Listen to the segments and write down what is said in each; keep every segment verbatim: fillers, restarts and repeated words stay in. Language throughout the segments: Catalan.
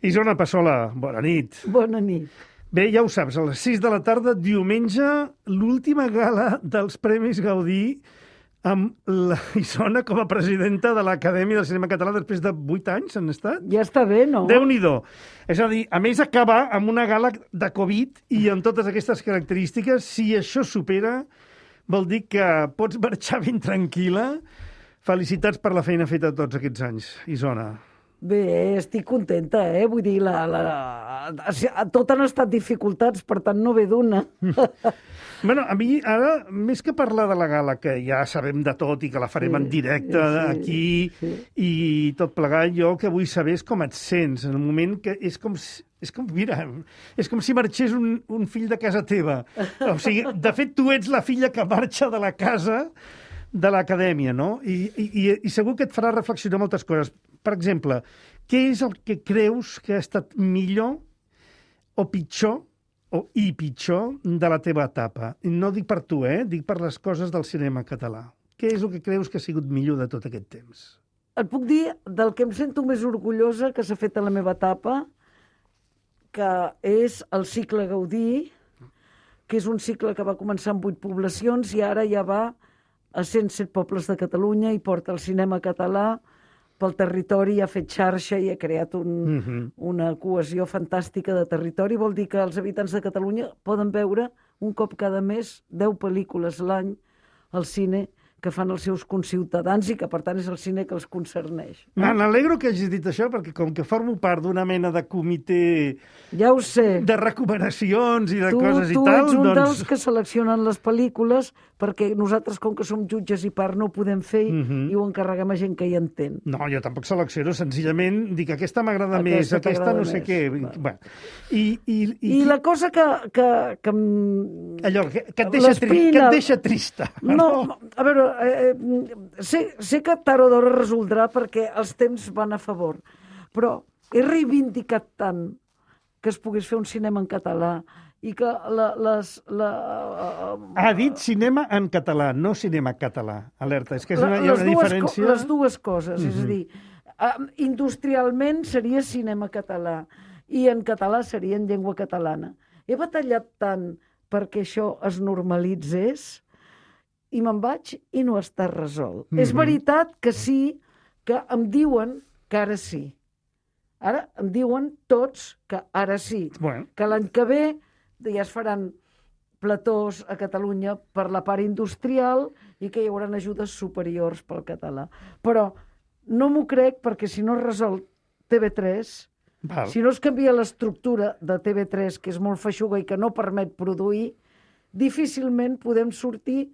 Isona Passola, bona nit. Bona nit. Bé, ja ho saps, a les sis de la tarda, diumenge, l'última gala dels Premis Gaudí amb la Isona com a presidenta de l'Acadèmia del Cinema Català després de vuit anys, han estat? Ja està bé, no? Déu-n'hi-do. És a dir, a més, acaba amb una gala de Covid i amb totes aquestes característiques. Si això supera, vol dir que pots marxar ben tranquil·la. Felicitats per la feina feta tots aquests anys, Isona. Bé, estic contenta, eh? Vull dir, la, la... tot han estat dificultats, per tant no ve d'una. Bueno, a mi ara, més que parlar de la gala, que ja sabem de tot i que la farem sí, en directe sí, aquí sí. i tot plegat, jo el que vull saber és com et sents en el moment que és com... És com, mira, és com si marxés un, un fill de casa teva. O sigui, de fet, tu ets la filla que marxa de la casa de l'acadèmia, no? I, i, i segur que et farà reflexionar moltes coses. Per exemple, què és el que creus que ha estat millor o pitjor o i pitjor de la teva etapa? No dic per tu, eh? Dic per les coses del cinema català. Què és el que creus que ha sigut millor de tot aquest temps? Et puc dir del que em sento més orgullosa que s'ha fet a la meva etapa, que és el cicle Gaudí, que és un cicle que va començar amb vuit poblacions i ara ja va a cent set pobles de Catalunya i porta el cinema català pel territori, ha fet xarxa i ha creat un, uh-huh. una cohesió fantàstica de territori. Vol dir que els habitants de Catalunya poden veure un cop cada mes deu pel·lícules l'any al cine que fan els seus conciutadans i que, per tant, és el cine que els concerneix. Me n'alegro que hagis dit això, perquè com que formo part d'una mena de comitè ja ho sé. de recomanacions i de tu, coses tu i tal... Tu ets un doncs... dels que seleccionen les pel·lícules perquè nosaltres, com que som jutges i part, no ho podem fer uh-huh. i ho encarreguem a gent que hi entén. No, jo tampoc selecciono, senzillament dic aquesta m'agrada més, aquesta no sé què... Bueno. I, i, i, I la cosa que... que, que allò, que, que, et deixa tri, que et deixa trista. No, no. A veure, eh, sé, sé que tard o d'hora resoldrà perquè els temps van a favor, però he reivindicat tant que es pogués fer un cinema en català i que la, les... La, uh, ha dit cinema en català, no cinema català. Alerta, és que és una, hi ha una diferència... Co les dues coses, uh-huh. és a dir, uh, industrialment seria cinema català i en català seria en llengua catalana. He batallat tant perquè això es normalitzés i me'n vaig i no està resolt. Uh-huh. És veritat que sí, que em diuen que ara sí. Ara em diuen tots que ara sí. Bueno. Que l'any que ve ja es faran platós a Catalunya per la part industrial i que hi haurà ajudes superiors pel català. Però no m'ho crec perquè si no es resol T V tres, Val. si no es canvia l'estructura de T V tres, que és molt feixuga i que no permet produir, difícilment podem sortir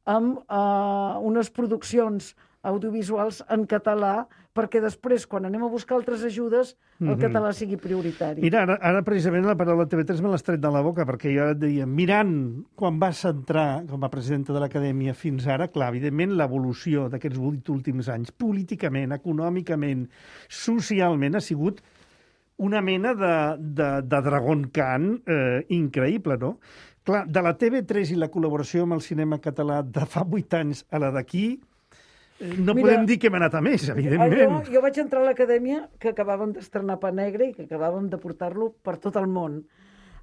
amb uh, unes produccions audiovisuals en català, perquè després, quan anem a buscar altres ajudes, el mm-hmm. català sigui prioritari. Mira, ara, ara precisament la paraula T V tres me l'has tret de la boca, perquè jo et deia, mirant quan vas entrar com a presidenta de l'Acadèmia fins ara, clar, evidentment l'evolució d'aquests vuit últims anys, políticament, econòmicament, socialment, ha sigut una mena de, de, de Dragon Khan eh, increïble, no? Clar, de la T V tres i la col·laboració amb el cinema català de fa vuit anys a la d'aquí, no Mira, podem dir que hem anat a més, evidentment. Jo, jo vaig entrar a l'Acadèmia que acabàvem d'estrenar Pa Negre i que acabàvem de portar-lo per tot el món.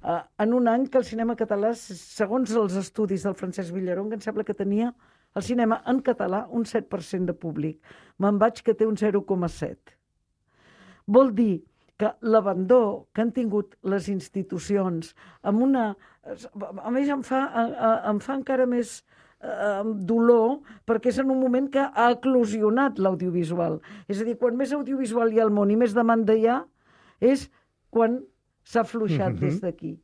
Uh, en un any que el cinema català, segons els estudis del Francesc Villaronga, em sembla que tenia el cinema en català un set per cent de públic. Me'n vaig que té un zero coma set. Vol dir que l'abandó que han tingut les institucions amb una... A més, em fa, em fa encara més... Uh, dolor, perquè és en un moment que ha eclosionat l'audiovisual. És a dir, quan més audiovisual hi ha al món i més demanda hi ha, és quan s'ha afluixat mm-hmm. des d'aquí.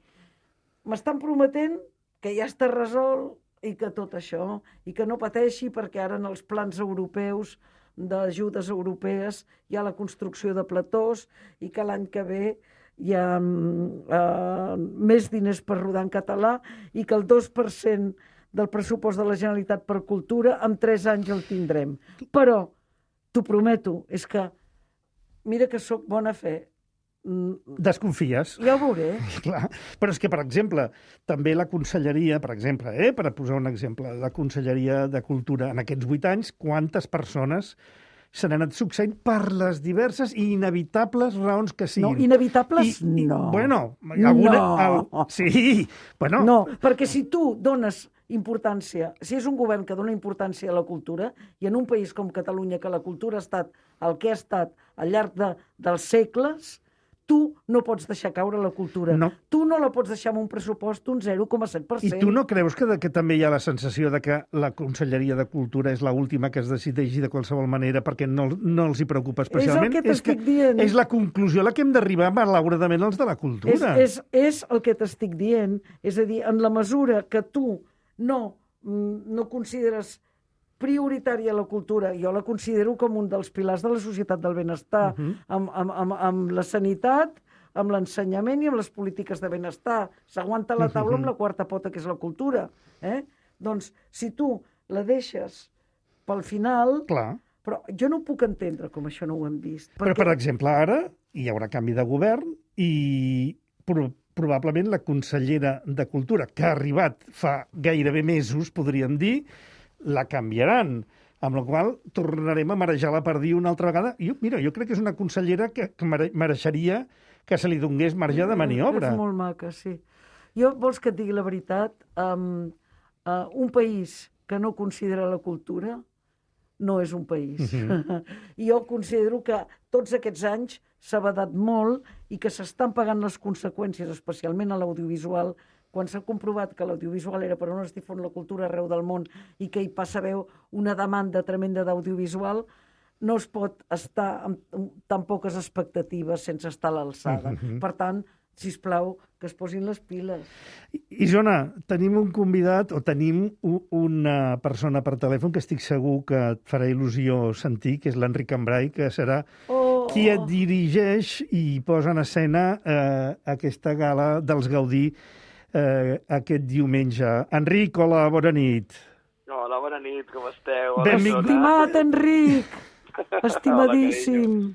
M'estan prometent que ja està resolt i que tot això, i que no pateixi perquè ara en els plans europeus d'ajudes europees hi ha la construcció de platós i que l'any que ve hi ha uh, més diners per rodar en català i que el dos per cent del pressupost de la Generalitat per Cultura, en tres anys el tindrem. Però, t'ho prometo, és que, mira que sóc bona fe. Desconfies. Ja ho veuré. Clar. Però és que, per exemple, també la Conselleria, per exemple, eh, per posar un exemple, la Conselleria de Cultura en aquests vuit anys, quantes persones s'han anat succeint per les diverses i inevitables raons que siguin. No, inevitables I, i, no. Bueno, alguna, no. El, sí, bueno... No, perquè si tu dones importància, si és un govern que dona importància a la cultura, i en un país com Catalunya, que la cultura ha estat el que ha estat al llarg de, dels segles, tu no pots deixar caure la cultura. No. Tu no la pots deixar amb un pressupost un zero coma set per cent. I tu no creus que, de, que també hi ha la sensació de que la Conselleria de Cultura és l'última que es decideixi de qualsevol manera perquè no, no els hi preocupa especialment? És el que t'estic dient. És la conclusió a la que hem d'arribar malauradament els de la cultura. És, és, és el que t'estic dient. És a dir, en la mesura que tu no, no consideres prioritària la cultura, jo la considero com un dels pilars de la societat del benestar, uh -huh. amb, amb, amb, amb la sanitat, amb l'ensenyament i amb les polítiques de benestar. S'aguanta la taula uh -huh. amb la quarta pota, que és la cultura. Eh? Doncs, si tu la deixes pel final... Clar. Però jo no puc entendre com això no ho hem vist. Perquè... Però, per exemple, ara hi haurà canvi de govern i pro probablement la consellera de Cultura, que ha arribat fa gairebé mesos, podríem dir, la canviaran, amb la qual tornarem a marejar la perdiu una altra vegada. Jo, mira, jo crec que és una consellera que, que mereixeria que se li donés marge de maniobra. És molt maca, sí. Jo, vols que et digui la veritat? Um, uh, un país que no considera la cultura no és un país. Uh-huh. I jo considero que tots aquests anys s'ha badat molt i que s'estan pagant les conseqüències, especialment a l'audiovisual, quan s'ha comprovat que l'audiovisual era per on es difon la cultura arreu del món i que hi passa a haver una demanda tremenda d'audiovisual, no es pot estar amb tan poques expectatives sense estar a l'alçada. Uh-huh. Per tant, sisplau, que es posin les piles. Isona, tenim un convidat, o tenim una persona per telèfon que estic segur que et farà il·lusió sentir, que és l'Enric Cambrai, que serà oh. qui et dirigeix i posa en escena eh, aquesta gala dels Gaudí eh, aquest diumenge. Enric, hola, bona nit. Hola, bona nit, com esteu? Benvingut. Estimat Enric, estimadíssim.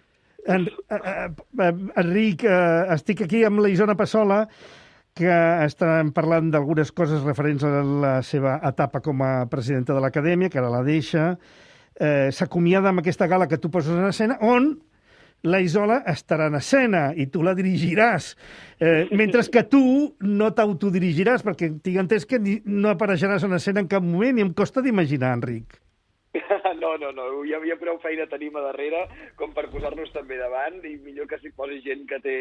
En, uh, uh, Enric, uh, estic aquí amb la Isona Passola, que estem parlant d'algunes coses referents a la seva etapa com a presidenta de l'Acadèmia, que ara la deixa. Uh, S'acomiada amb aquesta gala que tu poses en escena, on la Isola estarà en escena i tu la dirigiràs, eh, mentre que tu no t'autodirigiràs, perquè tinc entès que no apareixeràs en escena en cap moment i em costa d'imaginar, Enric. No, no, no, hi havia prou feina tenim a darrere com per posar-nos també davant i millor que s'hi posi gent que té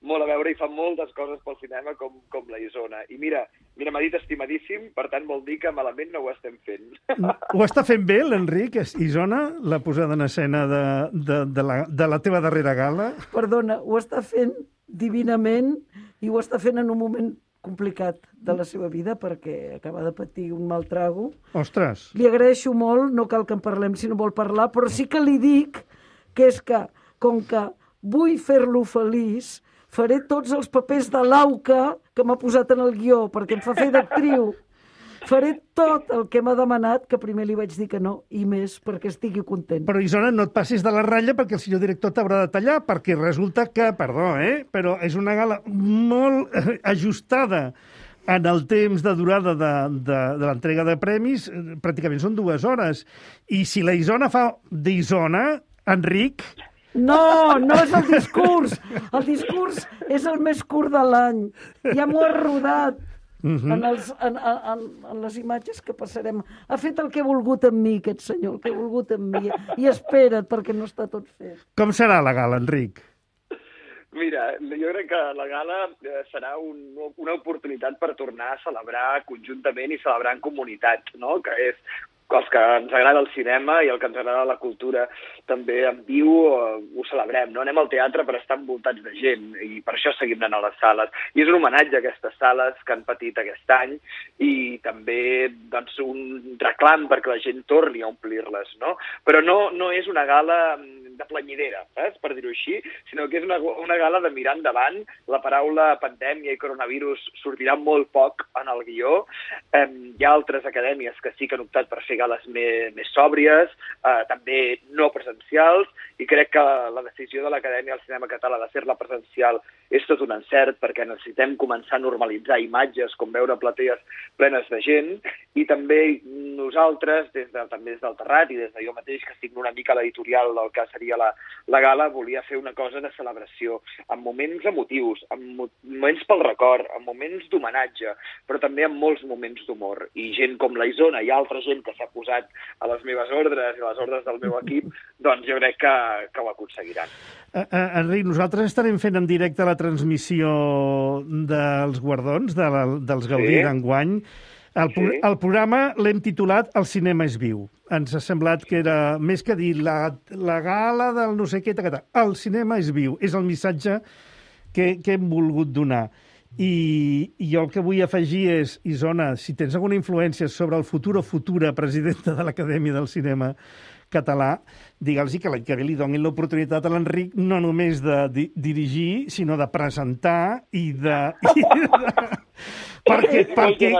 molt a veure i fa moltes coses pel cinema com, com la Isona. I mira, mira m'ha dit estimadíssim, per tant vol dir que malament no ho estem fent. Ho està fent bé l'Enric, Isona, la posada en escena de, de, de, la, de la teva darrera gala? Perdona, ho està fent divinament i ho està fent en un moment complicat de la seva vida perquè acaba de patir un mal trago. Ostres! Li agraeixo molt, no cal que en parlem si no vol parlar, però sí que li dic que és que, com que vull fer-lo feliç, faré tots els papers de l'Auca que m'ha posat en el guió, perquè em fa fer d'actriu. Faré tot el que m'ha demanat, que primer li vaig dir que no, i més perquè estigui content. Però, Isona, no et passis de la ratlla perquè el senyor director t'haurà de tallar, perquè resulta que, perdó, eh, però és una gala molt ajustada en el temps de durada de, de, de l'entrega de premis, pràcticament són dues hores. I si la Isona fa d'Isona, Enric... No, no és el discurs. El discurs és el més curt de l'any. Ja m'ho ha rodat. Uh-huh. en, els, en, en, en les imatges que passarem. Ha fet el que ha volgut amb mi, aquest senyor, el que ha volgut amb mi. I espera't, perquè no està tot fet. Com serà la gala, Enric? Mira, jo crec que la gala serà un, una oportunitat per tornar a celebrar conjuntament i celebrar en comunitat, no? Que és els que ens agrada el cinema i el que ens agrada la cultura també en viu ho celebrem, no? Anem al teatre per estar envoltats de gent i per això seguim anant a les sales. I és un homenatge a aquestes sales que han patit aquest any i també doncs, un reclam perquè la gent torni a omplir-les, no? Però no, no és una gala de planyidera, saps? Per dir-ho així, sinó que és una, una gala de mirar endavant. La paraula pandèmia i coronavirus sortirà molt poc en el guió. Eh, hi ha altres acadèmies que sí que han optat per fer gales més, més sòbries, eh, també no presencials, i crec que la decisió de l'Acadèmia del Cinema Català de fer-la presencial és tot un encert perquè necessitem començar a normalitzar imatges com veure platees plenes de gent, i també nosaltres, des de, també des del Terrat i des de jo mateix, que estic una mica a l'editorial del que seria la, la gala, volia fer una cosa de celebració, amb moments emotius, amb mo moments pel record, amb moments d'homenatge, però també amb molts moments d'humor. I gent com la Isona i altra gent que s'ha posat a les meves ordres i a les ordres del meu equip, doncs jo crec que, que ho aconseguiran. Uh, uh, Enric, nosaltres estarem fent en directe la transmissió dels guardons, de la, dels Gaudí Sí. d'enguany. El, pro Sí. el programa l'hem titulat El cinema és viu. Ens ha semblat que era més que dir la, la gala del no sé què, tacatà. El cinema és viu. És el missatge que, que hem volgut donar. I, I jo el que vull afegir és, Isona, si tens alguna influència sobre el futur o futura presidenta de l'Acadèmia del Cinema Català, digue'ls que l'any que ve li donin l'oportunitat a l'Enric no només de di dirigir, sinó de presentar i de... I de perquè perquè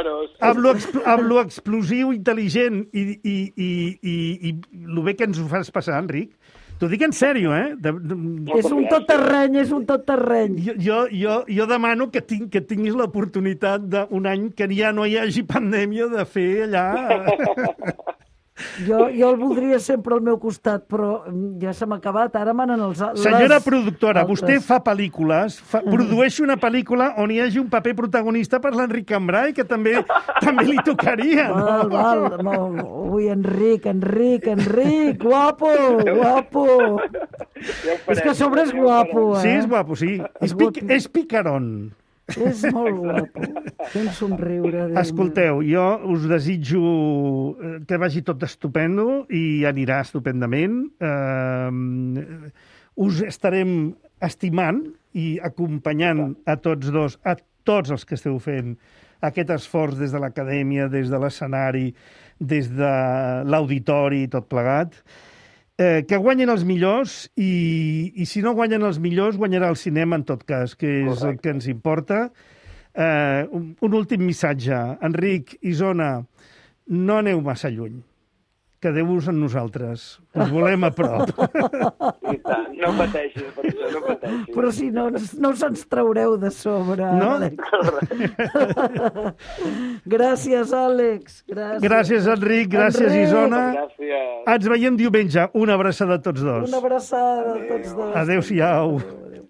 amb lo, expl amb lo explosiu, intel·ligent i, i, i, i, i el bé que ens ho fas passar, Enric, t'ho dic en sèrio, eh? De, de, És un tot terreny, és un tot terreny. jo, jo, jo, jo demano que, tinc, que tinguis l'oportunitat d'un any que ja no hi hagi pandèmia de fer allà... Jo, jo el voldria sempre al meu costat, però ja se m'ha acabat. Ara manen els... Senyora les productora, altres. vostè fa pel·lícules, fa, produeix una pel·lícula on hi hagi un paper protagonista per l'Enric Cambrai, que també també li tocaria, no? Val, val. Molt... Ui, Enric, Enric, Enric, guapo, guapo. Ja ho farem, És que a sobre és ja ho guapo, farem. eh? Sí, és guapo, sí. És, pic, és picaron. És molt guapo. Té un somriure. Déu Escolteu, jo us desitjo que vagi tot estupendo i anirà estupendament. Uh, us estarem estimant i acompanyant a tots dos, a tots els que esteu fent aquest esforç des de l'acadèmia, des de l'escenari, des de l'auditori i tot plegat. Eh, que guanyen els millors i, i si no guanyen els millors, guanyarà el cinema en tot cas, que és Correcte. El que ens importa. Eh, un, un últim missatge. Enric, Isona, no aneu massa lluny. Quedeu-vos amb nosaltres. Us volem a prop. I tant, no pateixis per això, no pateixis. Però si no, no se'ns traureu de sobre, No? Àlex. Gràcies, Àlex. Gràcies, Gràcies, Enric. Gràcies, Enric. Isona. Gràcies. Ens veiem diumenge. Una abraçada a tots dos. Una abraçada a tots dos. Adéu-siau. Adéu, adéu.